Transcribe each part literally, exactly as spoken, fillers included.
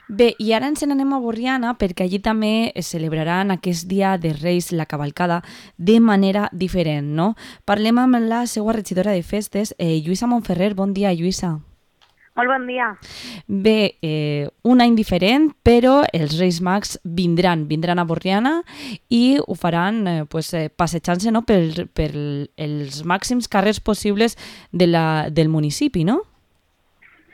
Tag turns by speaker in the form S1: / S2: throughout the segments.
S1: Bé, i ara ens n'anem a Borriana perquè allí també es celebraran aquest dia de Reis, la cavalcada, de manera diferent, no? Parlem amb la seva regidora de festes, eh, Lluïsa Montferrer. Bon dia, Lluïsa.
S2: Molt bon dia.
S1: Bé, eh, un any diferent, però els Reis Mags vindran, vindran a Borriana i ho faran eh, pues, eh, passejant-se, no?, per, per els màxims carrers possibles de la, del municipi, no?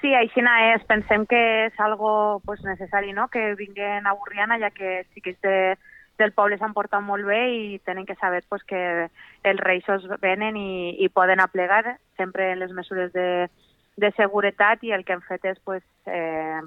S2: Sí, així és. Pensem que és algo pues, necessari, no?, que vinguin a Borriana, ja que els xiquets de, del poble s'han portat molt bé i tenen que saber pues, que els reis es venen i, i poden aplegar sempre les mesures de, de seguretat, i el que hem fet és pues, eh,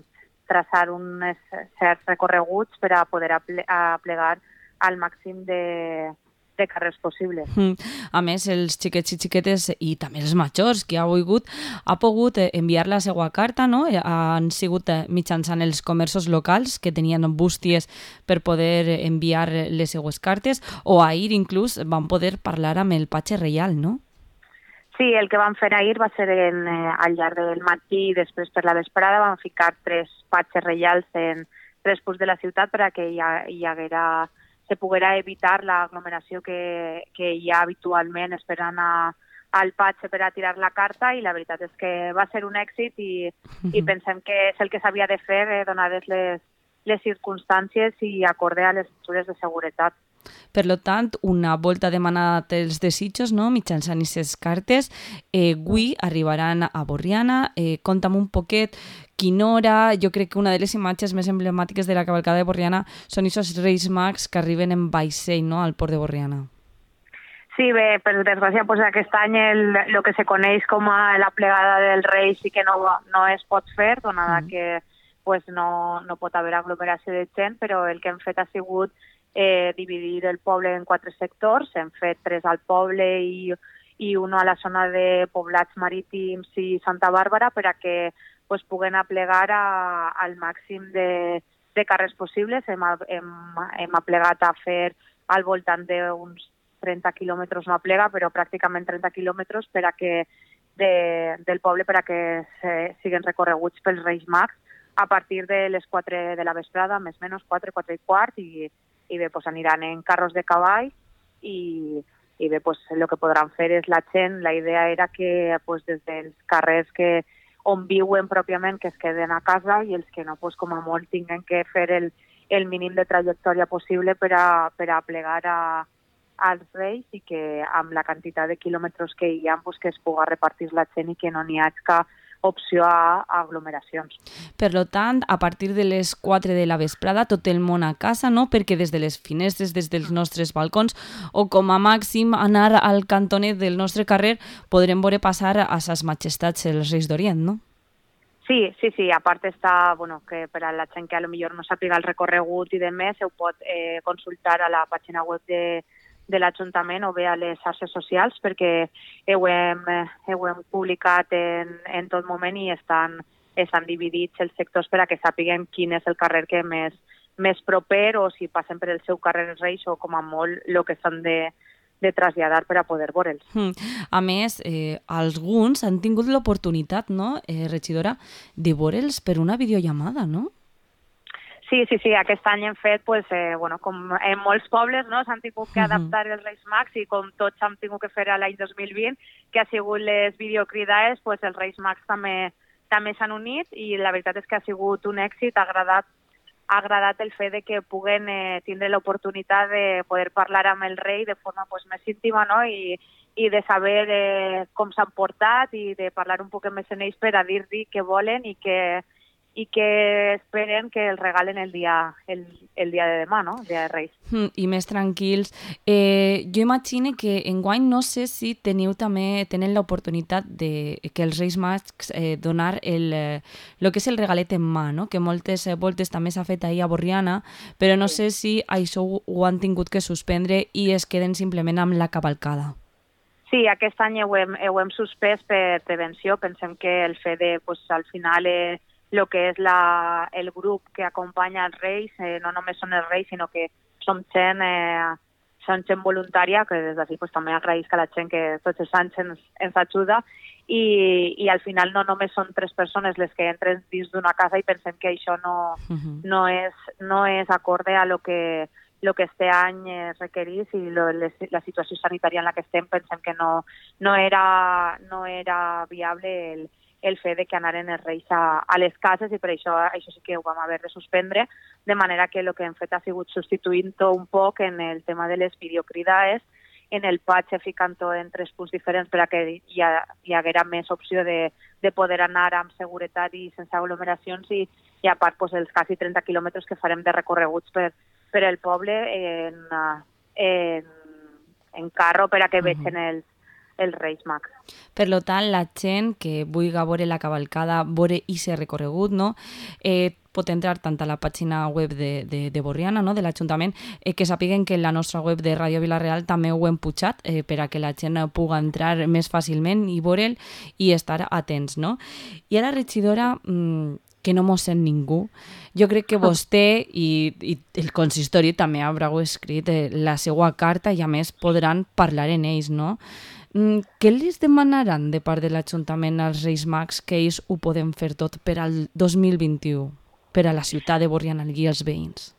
S2: traçar uns certs recorreguts per a poder aple, aplegar al màxim de, de carrers possibles.
S1: Mm. A més, els xiquets i xiquetes i també els majors que ha volgut, ha pogut enviar la seva carta, no? Han sigut mitjançant els comerços locals que tenien bústies per poder enviar les seues cartes, o ahir inclús van poder parlar amb el patge reial, no?
S2: Sí, el que vam fer ahir va ser en, eh, al llarg del matí i després per la vesprada vam ficar tres patges reials en tres punts de la ciutat per a que hi, ha, hi haguera, se poguera evitar l'aglomeració que, que hi ha habitualment esperant a, al patge per a tirar la carta, i la veritat és que va ser un èxit i, i pensem que és el que s'havia de fer eh, donades les, les circumstàncies i acorde a les mesures de seguretat.
S1: Per tant, una volta demanat els desitjos, no?, mitjançant aquestes cartes, eh, avui arribaran a Borriana. Eh, conta'm un poquet quina hora. Jo crec que una de les imatges més emblemàtiques de la cavalcada de Borriana són aquests Reis Mags que arriben en vaixell, no?, al port de Borriana.
S2: Sí, bé, per desgràcia, pues, aquest any el, el que se coneix com a la plegada del rei sí que no, no es pot fer, donada mm. que pues, no, no pot haver aglomeració de gent, però el que hem fet ha sigut eh, dividir el poble en quatre sectors. Hem fet tres al poble i, i un a la zona de poblats marítims i Santa Bàrbara per a que pues, puguen aplegar a, al màxim de, de carrers possibles. Hem, hem, hem aplegat a fer al voltant d'uns trenta quilòmetres, no aplega, però pràcticament trenta quilòmetres per a que de, del poble per a que se, siguin recorreguts pels Reis Mags a partir de les quatre de la vesprada, més o menys quatre, quatre i quart, i, i bé, pues, aniran en carros de cavall i, i bé, pues, el que podran fer és la gent. La idea era que pues, des dels carrers que on viuen pròpiament que es queden a casa, i els que no, pues, com a molt, tinguen que fer el, el mínim de trajectòria possible per a, per a plegar a, als Reis, i que amb la quantitat de quilòmetres que hi ha, pues, que es pugui repartir la gent i que no n'hi hagi cap opció a, a aglomeracions.
S1: Per tant, a partir de les quatre de la vesprada, tot el món a casa, no? Perquè des de les finestres, des dels nostres balcons, o com a màxim anar al cantoner del nostre carrer, podrem veure passar a ses majestats els Reis d'Orient, no?
S2: Sí, sí, sí. A part està, bueno, que per a la gent que a lo millor no sàpiga el recorregut i de més, ho pot eh, consultar a la pàgina web de de l'Ajuntament o bé a les xarxes socials, perquè ho hem, ho hem publicat en, en tot moment i estan, estan dividits els sectors per a que sàpiguen quin és el carrer que més, més proper, o si passen per el seu carrer els Reis, o com a molt el que s'han de, de traslladar per a poder veure'ls.
S1: Mm. A més, eh, alguns han tingut l'oportunitat, no, eh, regidora, de veure'ls per una videollamada, no?
S2: Sí, sí, sí, aquest any hem fet, pues, eh, bueno, com en molts pobles, no, s'han tingut que adaptar els Reis Mags, i com tots hem tingut que fer a l'any dos mil vint, que ha sigut les videocridades, pues, els Reis Mags també també s'han unit, i la veritat és que ha sigut un èxit. Ha agradat, ha agradat el fet de que puguen eh, tindre l'oportunitat de poder parlar amb el rei de forma pues, més íntima, no? I, i de saber eh, com s'han portat, i de parlar un poc més en ells per a dir-li què volen i que i que esperen que el regalen el dia, el, el dia de demà, no? El dia de Reis.
S1: Mm, I més tranquils. Eh, jo imagino que enguany no sé si teniu també, tenen l'oportunitat de que els Reis Mags eh, donar el, eh, lo que és el regalet en mà, no? Que moltes eh, voltes també s'ha fet ahir a Borriana, però no sí. sé si això ho, ho han tingut que suspendre i es queden simplement amb la cavalcada.
S2: Sí, aquest any ho hem, ho hem suspès per prevenció. Pensem que el fet de, pues, al final, eh, el que és la, el grup que acompanya els Reis, eh, no només són els Reis, sinó que som gent eh, són gent voluntària, que des d'ací pues, també agraïsc a la gent que tots els anys ens, ens ajuda, i, i al final no només són tres persones les que entren dins d'una casa i pensem que això no, uh-huh. no, és, no és acorde a lo que, lo que este any requerís i lo, les, la situació sanitària en la que estem, pensem que no, no, era, no era viable el, el fet de que anaren els reis a, a les cases, i per això això sí que ho vam haver de suspendre, de manera que el que hem fet ha sigut substituint-ho un poc en el tema de les videocridades, en el patch ficant-ho en tres punts diferents per a que hi, ha, hi haguera més opció de, de poder anar amb seguretat i sense aglomeracions, i, i a part pues, els quasi trenta quilòmetres que farem de recorreguts per, per el poble en, en, en carro per a que uh-huh. vegin els, els Reis Mags.
S1: Per tant, la gent que vulgui veure la cavalcada, veure i ser recorregut, no? eh, pot entrar tant a la pàgina web de, de, de Borriana, no? de l'Ajuntament, eh, que sàpiguen que en la nostra web de Ràdio Vila-real també ho hem pujat eh, per a que la gent pugui entrar més fàcilment i veure'l i estar atents. No? I ara, regidora, mmm, que no mos sent ningú, jo crec que vostè i, i el consistori també haureu escrit eh, la seva carta i a més podran parlar en ells, no? Mm, què els demanaran de part de l'Ajuntament als Reis Mags que ells ho poden fer tot per al dos mil vint-i-u, per a la ciutat de Borriana i els veïns?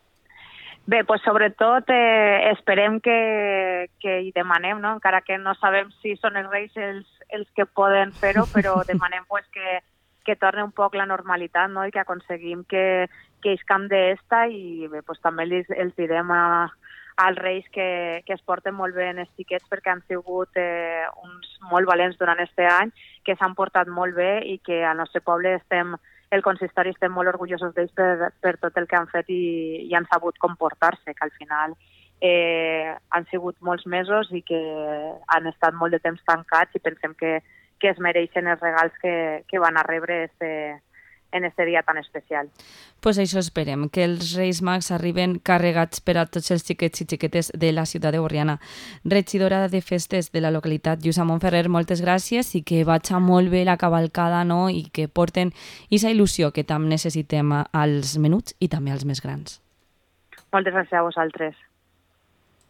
S2: Bé, pues sobretot eh, esperem que, que hi demanem, no? Encara que no sabem si són els Reis els, els que poden fer-ho, però demanem pues, que, que torni un poc la normalitat, no? I que aconseguim que, que ells camp d'esta, i bé, pues, també els, els direm a, als Reis que, que es porten molt bé en els xiquets, perquè han sigut eh, uns molt valents durant este any, que s'han portat molt bé i que al nostre poble estem, el consistori estem molt orgullosos d'ells per, per tot el que han fet i, i han sabut comportar-se, que al final eh, han sigut molts mesos i que han estat molt de temps tancats, i pensem que, que es mereixen els regals que, que van a rebre este, en este dia tan especial.
S1: Pues això esperem, que els Reis Mags arriben carregats per a tots els xiquets i xiquetes de la ciutat de Borriana. Regidora de Festes de la localitat, Lluïsa Montferrer, moltes gràcies, i que vagi molt bé la cavalcada, no? I que porten aquesta il·lusió que tant necessitem als menuts i també als més grans.
S2: Moltes gràcies a vosaltres.